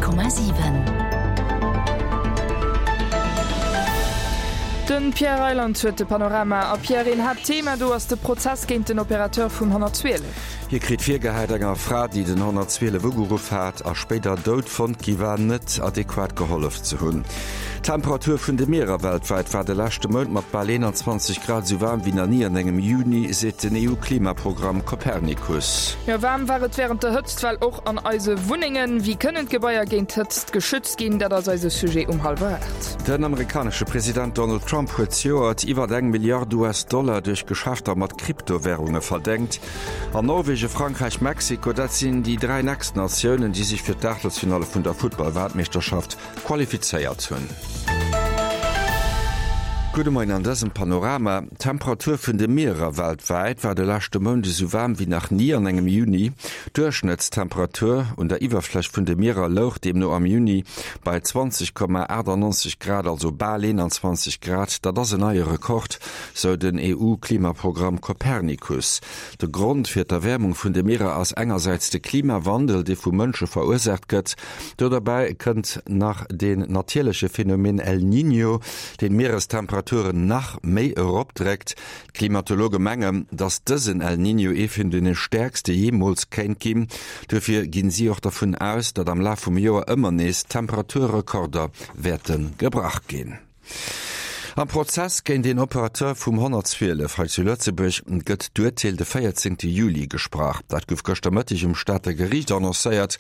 100,7. De Pierre Reyland huet de Panorama. A Pierre, een Haaptthema do ass de Prozess géint den Opérateur vum 112. Hie kritt virgehäit, enger Fra, déi den 112 ugeruff hat a spéider dout fonnt gi war, net adequat gehollef ze hunn. D'Temperatur vun de Mierer weltwäit war de leschte Mount mat bal 21 Grad esou waarm wéi nach ni an engem Juni, seet den EU-Klimaprogramm Copernicus. Jo, waarm war et wärend der Hëtztwell och an eise Wunnengen. Wéi kënnen d'Gebaier géint d'Hëtzt geschützt ginn? Dat ass eise Sujet um hallwer 8. Den amerikanesche President Donald Trump huet zejoert iwwer eng Milliard US-Dollar duerch Geschäfter mat Kryptowärunge verdéngt. An Norwegen, Frankräich, Mexiko, dat sinn déi 3 nächst Natiounen, déi sech fir d'Aachtelsfinalle vun der Futtball-Weltmeeschterschaft qualifizéiert hunn. Gudde Moien an dësem Panorama. D'Temperatur vun de Mierer weltwäit war de leschte Mount esou waarm wéi nach ni an engem Juni. D'Duerchschnëttstemperatur un der Iwwerfläch vun de Mierer louch deemno am Juni bei 20,98 Grad, also bal 21 Grad. Dat ass en neie Rekord, sou den EU-Klimaprogramm Copernicus. De Grond fir d'Erwäermung vun de Mierer ass engersäits de Klimawandel, dee vu Mënsche verursaacht gëtt. Do derbäi kënnt nach deen natierleche Phänomen El Niño, deen d'Mierestemperaturen nach méi eropdréckt. D'Klimatologe mengen, datt dësen El Niño ee vun deene stäerkste jeemools kéint ginn. Duerfir ginn si och dervun aus, datt am Laf vum Joer ëmmer nees Temperaturrekorder wäerte gebrach ginn. Am Prozess géint een Operateur vum 112 hei zu Lëtzebuerg gëtt d'Urteel de 14 Juli gesprach. Dat gouf gëschter Mëtteg um Stater Geriicht annoncéiert,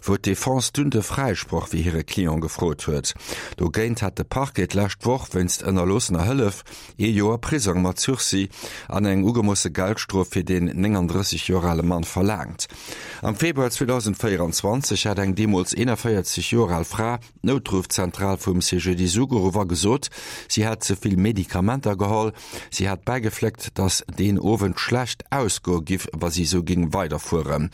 wou d'Defense dunn de Fräisproch fir hire Client gefrot huet. Dogéint hat de Parquet d'lescht Woch wéinst ënnerloossener Hëllef ee Joer Prisong mat Sursis an eng ugemoosse Geldstrof fir deen 39 Joer ale Mann verlaangt. Am Februar 2024 hat eng deemools 41 Joer al Fra D'Noutruffzentral vum CGDIS ugeruff a gesot, si hätt ze vill Medikamenter geholl. Si hat bäigefléckt, datt deen Owend schlecht ausgoe giff, wa si esou géing weiderfueren.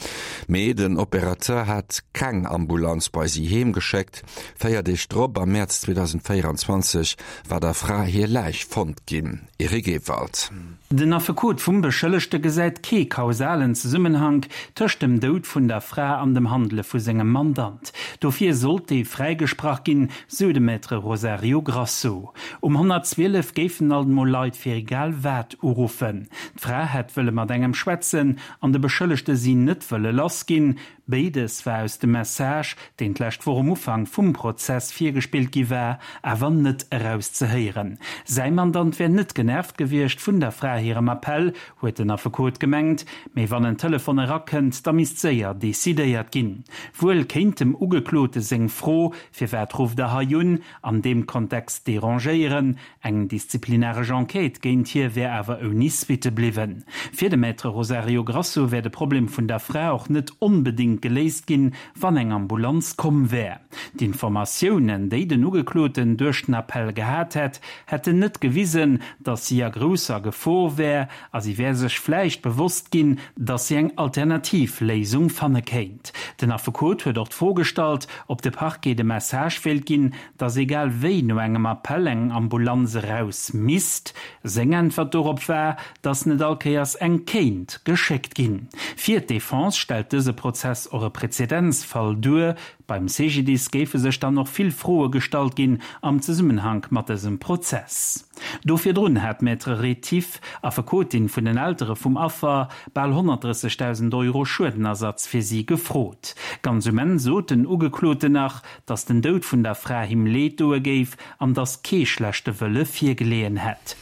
Mee den Opérateur hat keng Ambulanz bei si heem geschéckt. 4 Deeg drop, am Mäerz 2024, war der Fra hir Läich fonnt ginn. Eric Ewald. Den Affekot vum Beschëllegte gesäit kee kausalen Zesummenhank tëscht dem Doud vun der Fra an dem Handele vu sengem Mandant. Dofir sollt dee fräigesprach ginn, sou de Maître Rosario Grasso. Um 112 géifen alt emol Leit fir egal wat uruffen. D'Fra hätt wëlle mat engem schwätzen an de Beschëllegte si net wëlle lass ginn. Béides war aus dem Message, deen d'lescht Woch um Ufank vum Prozess virgespillt gi war, awer net erauszehéieren. Säi Mandant wär net genervt gewiescht vun der Fra hirem Appell, huet den Affekot gemengt, mee wann en Telefon erakënnt, da misst séier decidéiert ginn. Wuel kéint dem Ugeklote seng Fro, Firwat rufft Der hei un? an deem Kontext derangéieren, Eng disziplinaresch Enquête géint hie wär awer ouni Suitte bliwwen. Fir de Maître Rosario Grasso wär de Problem vun der Fra och net onbedéngt geléist ginn, wann eng Ambulanz komm wär. D'Informatiounen, déi den Ugekloten duerch den Appell gehat hätt, hätten net gewisen, datt si a grousser Gefor wär a si wär sech vläicht bewosst ginn, datt si eng alternativ Léisung fanne kéint. Den Affekot huet och d'Fro gestallt, ob de Parquet de Message wéilt ginn, dass egal wéi no engem Appell eng Ambulanz eraus misst. Seng Äntwert dorop war, dass net all Kéiers eng kéint geschéckt ginn. Fir d'Defense stellt dëse Prozess och e Prezedenzfall duer. Beim CGDIS géife sech dann och vill Froe gestallt ginn am Zesummenhank mat dësem Prozess. Do virdrun hat d'Maître Rétif, Affekotin vun den Eltere vum Affer, bal 130.000 Euro Schuedenersatz fir si gefrot. Ganz um Enn sot den Ugekloten nach, dass den Doud vun der Fra him Leed doe géif an dass kee schlechte Wëlle virgeleeën hätt.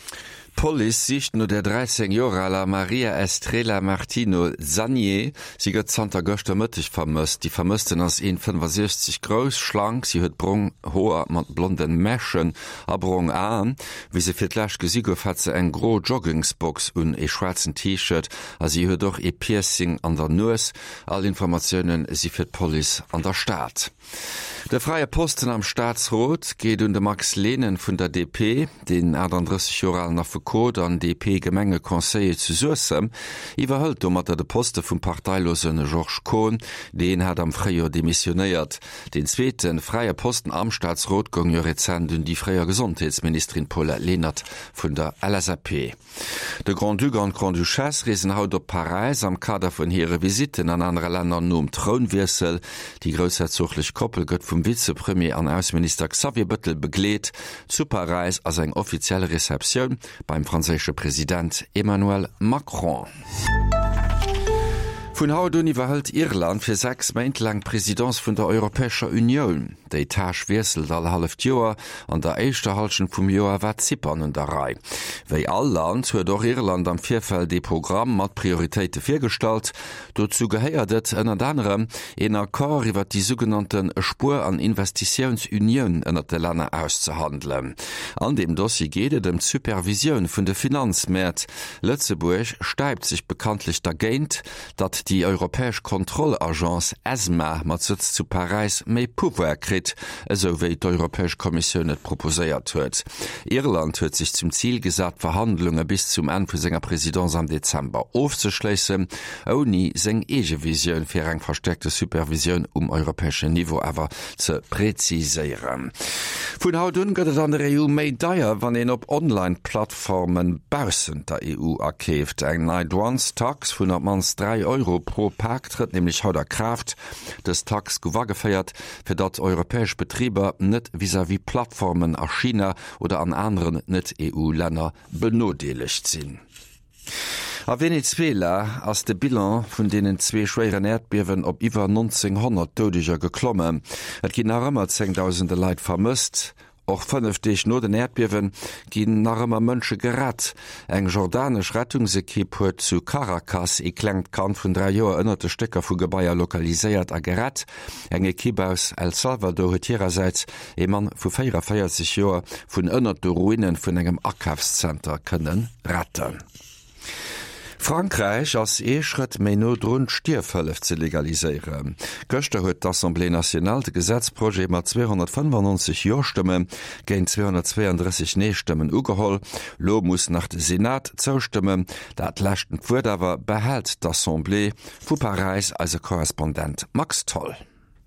D'Police sicht no der 13 Joer aler Maria Estrela Martino Zannier. Si gëtt zanter gëschter Mëtteg vermësst. Déi Vermëssten ass 1,65 grouss, schlank, si huet brong Hoer mat blonden Mäschen a brong Aen. Wéi se fir d'lescht gesi gouf, hat se eng gro Joggingsbox un, ee schwaarzen T-Shirt a si huet och ee Piercing an der Nues. All Informatioune si fir d'Police an der Stad. De fräie Posten am Staatsrot geet un de Max Lehnen vun der DP. Deen 38 Joer alen Affekot. Affekot an DP-Gemengeconseiller zu Suessem, iwwerhëlt domatter de Poste vum parteilose Georges Kohn. Deen hat am Fréijoer demissionéiert. Deen zweete fräie Posten am Staatsrot goung jo rezent un déi fréier Gesondheetsministerin Paulette Lenert vun der LSAP. De Grand-Duc an d'Grande-Duchesse reesen haut op Paräis am Kader vun hire Visitten an anere Länner nom Trounwiessel. Déi groussherzoglech Koppel gëtt vum Vizepremier an Ausseminister Xavier Bëttel begleet. Zu Paräis ass eng offiziell Receptioun beim franséische President Emmanuel Macron. Vun haut un iwwerhëlt Irland fir 6 Méint laang d'Presidence vun der Europäescher Unioun. Déi Tâche wiesselt all halleft Joer. An der éischter Hallschent vum Joer war Zypern un der Rei. Wéi all Land huet och Irland am Virfeld ee Programm mat Prioritéite virgestallt. Dozou gehéiert et ënnert anerem, een Accord iwwer déi sougenannte Spuer an Investitiounsunioun ënnert de Länner auszehandelen. An deem Dossier geet et ëm d'Supervisioun vun de Finanzmäert. Lëtzebuerg stäipt sech bekanntlech dergéint, datt déi europäesch Kontrollagence ESMA mat Sëtz zu Paräis méi Pouvoir kritt, esou wéi d'Europäesch Kommissioun et proposéiert huet. Irland huet sech zum Zil gesat, d'Verhandlunge bis zum Enn vu senger Presidence am Dezember ofzeschléissen, ouni seng eege Visioun fir eng verstäerkte Supervisioun um europäeschen Niveau awer ze preziséieren. Vun haut un gëtt et an der EU méi deier, wann een op Online-Plattforme baussent der EU akeeft. Eng nei Douanestax vun op d'mannst 3 Euro pro Pak trëtt nämlech haut a Kraaft. Dës Tax gouf ageféiert, fir datt europäesch Betriber net vis-à-vis Plattformen a China oder an aneren Net-EU-Länner benodeelegt sinn. A Venezuela ass de Bilan vun deenen zwee schwéieren Äerdbiewen op iwwer 1.900 Doudeger geklommen. Et ginn nach ëmmer zéngdausende Leit vermësst. Och 5 Deeg no den Äerdbiewe ginn nach ëmmer Mënsche gerett. Eng jordanesch Rettungsekipp huet zu Caracas ee klengt Kand vun 3 Joer ënnert de Stécker vu Gebaier lokaliséiert a gerett. Eng Ekipp aus El Salvador huet hirersäits ee Mann vu 44 Joer vun ënnert de Ruine vun engem Akafszenter kënne retten. Frankräich ass ee Schrëtt méi no drun, d'Stierfhëllef ze legaliséieren. Gëschter huet d'Assemblée nationale de Gesetzprojet mat 295 Jo-Stëmme géint 232 Nee-Stëmmen ugeholl. Lo muss nach de Senat zoustëmmen. Dat leschten Wuert awer behält d'Assemblée. Vu Paräis eise Korrespondent Max Tholl.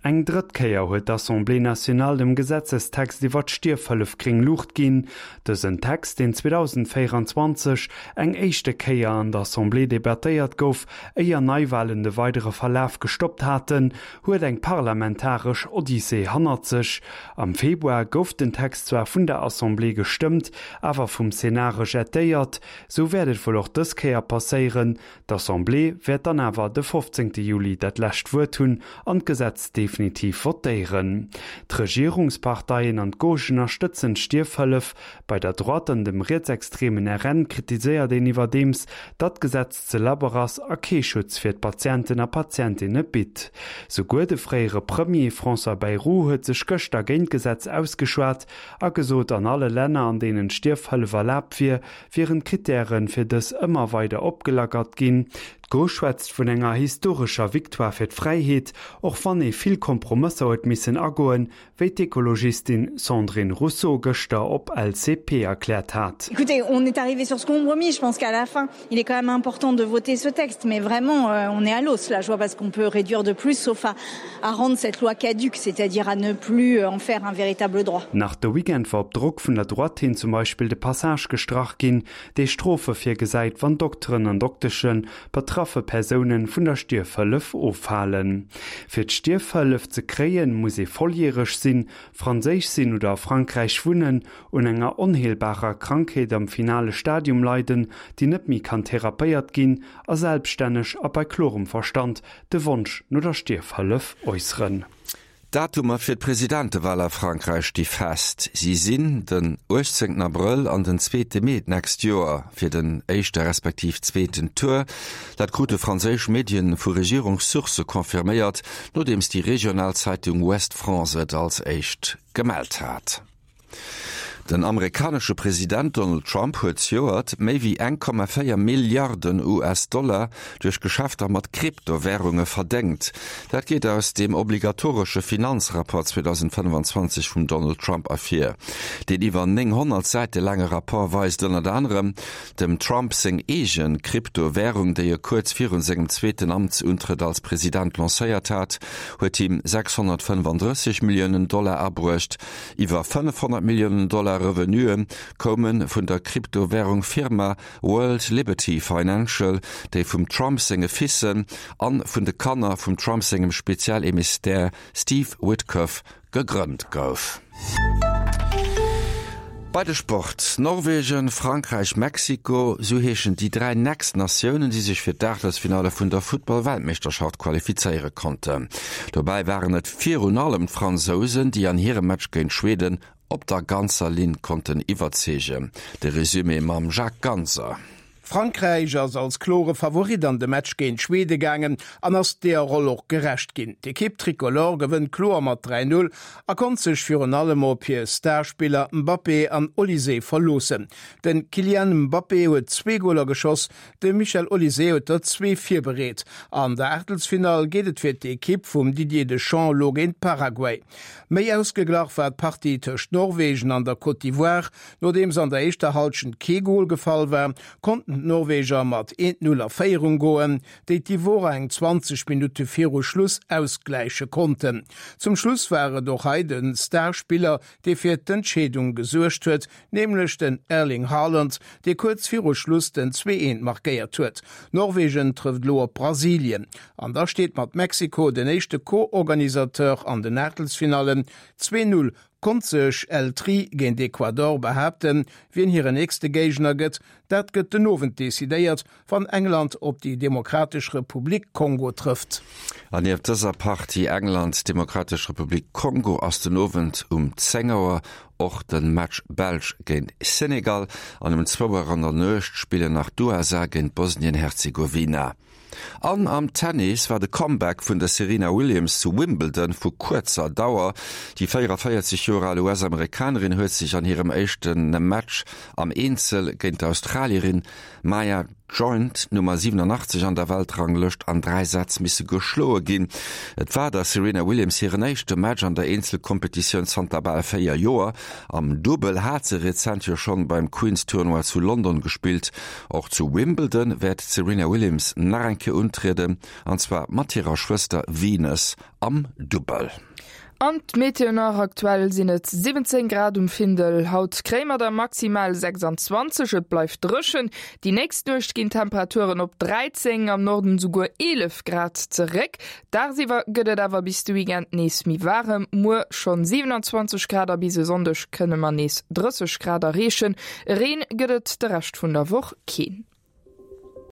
Eng drëtt Kéier huet d'Assemblée nationale dem Gesetzestext iwwer d'Stierfhëllef gréng Luucht ginn. Dësen Text, deen 2024 eng éischte Kéier an der Assemblée debattéiert gouf, éier Neiwalen de weidere Verlaf gestoppt haten, huet eng parlamentaresch Odyssee hannert sech. Am Februar gouf den Text zwar vun der Assemblée gestëmmt, awer vum Sénat rejetéiert. Sou wäert et wuel och dës Kéier passéieren. D'Assemblée wäert dann awer de 15 Juli dat lescht Wuert hunn an d'Gesetz definitiv votéieren. D'Regierungsparteien an d'Gauche ënnerstëtzen d'Stierfhëllef. Bei der Droite an dem rietsextremen RN kritiséiert een iwwerdeems, datt d'Gesetz ze labber ass a kee Schutz fir d'Patienten a Patientinne bitt. Souguer de fréiere Premier François Bayrou huet sech gëschter géint d'Gesetz ausgeschwat a gesot, an alle Länner, an deenen d'Stierfhëllef erlaabt wier, wieren d'Krittäre fir dës ëmmer weider opgelackert ginn. D'Gauche schwätzt vun enger historescher Victoire fir d'Fräiheet, och wann ee vill Kompromësser huet missen agoen, wéi d'Ekologistin Sandrine Rousseau gëschter op LCP erkläert hat. Écoutez, on est arrivé sur ce compromis, je pense qu'à la fin, il est quand même important de voter ce texte, mais vraiment, on est à l'os là, je vois pas ce qu'on peut réduire de plus, sauf à à rendre cette loi caduque, c'est-à-dire à ne plus en faire un véritable droit. Nach de Weekend war op Drock vun der Droite hin zum Beispill de Passage gestrach ginn, dee Strofe virgesäit, wann Dokteren an Doktesche betraffe Persoune vun der Stierfhëllef ofhalen. Fir d'Stierfhëllef ze kréien, muss ee volljäreg sinn, franséisch sinn oder a Frankräich wunnen, un enger onheelbarer Krankheet am finale Stadium leiden, déi net méi kann therapéiert ginn, a selbststänneg a bei klorem Verstand de Wonsch no der Stierfhëllef äusseren. D'Datumer fir d'Presidentewal a Frankräich sti fest. Si sinn den 18 Abrëll an den zweete Mee d'nächst Joer fir den éischte respektiv zweeten Tour. Dat krute franséisch Medien vu Regierungssourcë confirméiert, nodeems déi regional Zeitung Ouest-France et als éischt gemellt hat. Den amerikanesche President Donald Trump huet zejoert méi wéi 1,4 Milliarden US-Dollar duerch Geschäfter mat Kryptowärunge verdéngt. Dat geet aus deem obligatoresche Finanzrapport 2025 vum Donald Trump ervir. Deen iwwer 900 Säite laange Rapport weist ënnert anerem dem Trump seng eege Kryptowärung, déi e kuerz virun sengem zweeten Amtsuntrëtt als President lancéiert hat, huet him 635 Milliounen Dollar abruecht. Iwwer 500 Milliounen Dollar Revenuë koume vun der Kryptowärung-Firma World Liberty Financial, déi vum Trump senge Fissen an vun de Kanner vum Trump sengem Spezialemistär Steve Witkoff gegrënnt gouf. Bei de Sport, Norwegen, Frankräich, Mexiko, sou heeschen déi 3 nächst Natiounen, déi sech fir d'Aachtelsfinalle vun der Futtball-Weltmeeschterschaft qualifizéiere konnten. Dobäi waren et virun allem d'Fransousen, déi an hirem Match géint Schweden op der ganzer Linn konnten iwwerzeegen. De Resumé mam Jacques Ganser. Frankräich ass als klore Favorit an de Match géint Schwede gaangen an ass deeër Roll och gerecht ginn. D'Ekipp Tricolore gewënnt kloer mat 3, 0 a konnt sech virun allem op hir Starspiller Mbappé an Olise verloossen. De Kylian Mbappé huet zwee Goler geschoss, de Michel Olise huet der zwee virbereet. An der Aachtelsfinall geet et fir d'Ekipp vum Didier Deschamps elo géint Paraguay. Méi ausgeglach war d'Partie tëscht Norwegen an der Côte d'Ivoire. Nodeems an der éischter Hallschent kee Gol gefall war, konnten d'Norweger mat 1, 0 a Féierung goen, déi d'Ivorer eng 20 Minutte viru Schluss ausgläiche konnten. Zum Schluss war et och hei de Starspiller, dee fir d'Entscheedung gesuergt huet, nämlech den Erling Haaland, dee kuerz viru Schluss den 2, 1 markéiert huet. Norwegen trëfft elo op Brasilien an da steet mat Mexiko den éischte Co-Organisateur an den Aachtelsfinallen. 2, 0 konnt sech El Tri géint Ecuador behaapten. Wien hiren nächste Géigner gëtt, dat gëtt den Owend decidéiert, wann England op déi Demokratesch Republik Kongo trëfft. An nieft dëser Partie England, Demokratesch Republik Kongo ass den Owend um 10 Auer och de Match Belsch géint Senegal an um zwou Auer an der Nuecht spillen nach d'USA géint Bosnien-Herzegowina. An am Tennis war de Comeback vun der Serena Williams zu Wimbledon vu kuerzer Dauer. Déi 44 Joer al US-Amerikanerin huet sech an hirem éischte Match am Eenzel géint d'Australierin Maya Joint, Nummer 87 an der Weltranglëscht, an 3 Sätz misse geschloe ginn. Et war der Serena Williams hiren éischte Match an der Eenzelkompetitioun zanter bal 4 Joer. Am Dubbel hat se rezent jo schonn beim Queen's Tournoi zu London gespillt. Och zu Wimbledon wäert d'Serena Williams nach eng Kéier untrieden, an zwar mat hirer Schwëster Venus am Dubbel. An d'Meteo nach, Aktuell sinn et 17 Grad um Findel, haut kréie mer der maximal 26. Et bleift dréchen. Déi nächst Nuecht ginn d'Temperaturen op 13, am Norden esouguer 11 Grad zeréck. Dagsiwwer gëtt et awer bis de Weekend nees méi waarem, muer schonn 27 Grad a bis e Sonndeg kënne mer nees 30 Grad erreechen. Reen gëtt et de Rescht vun der Woch keen.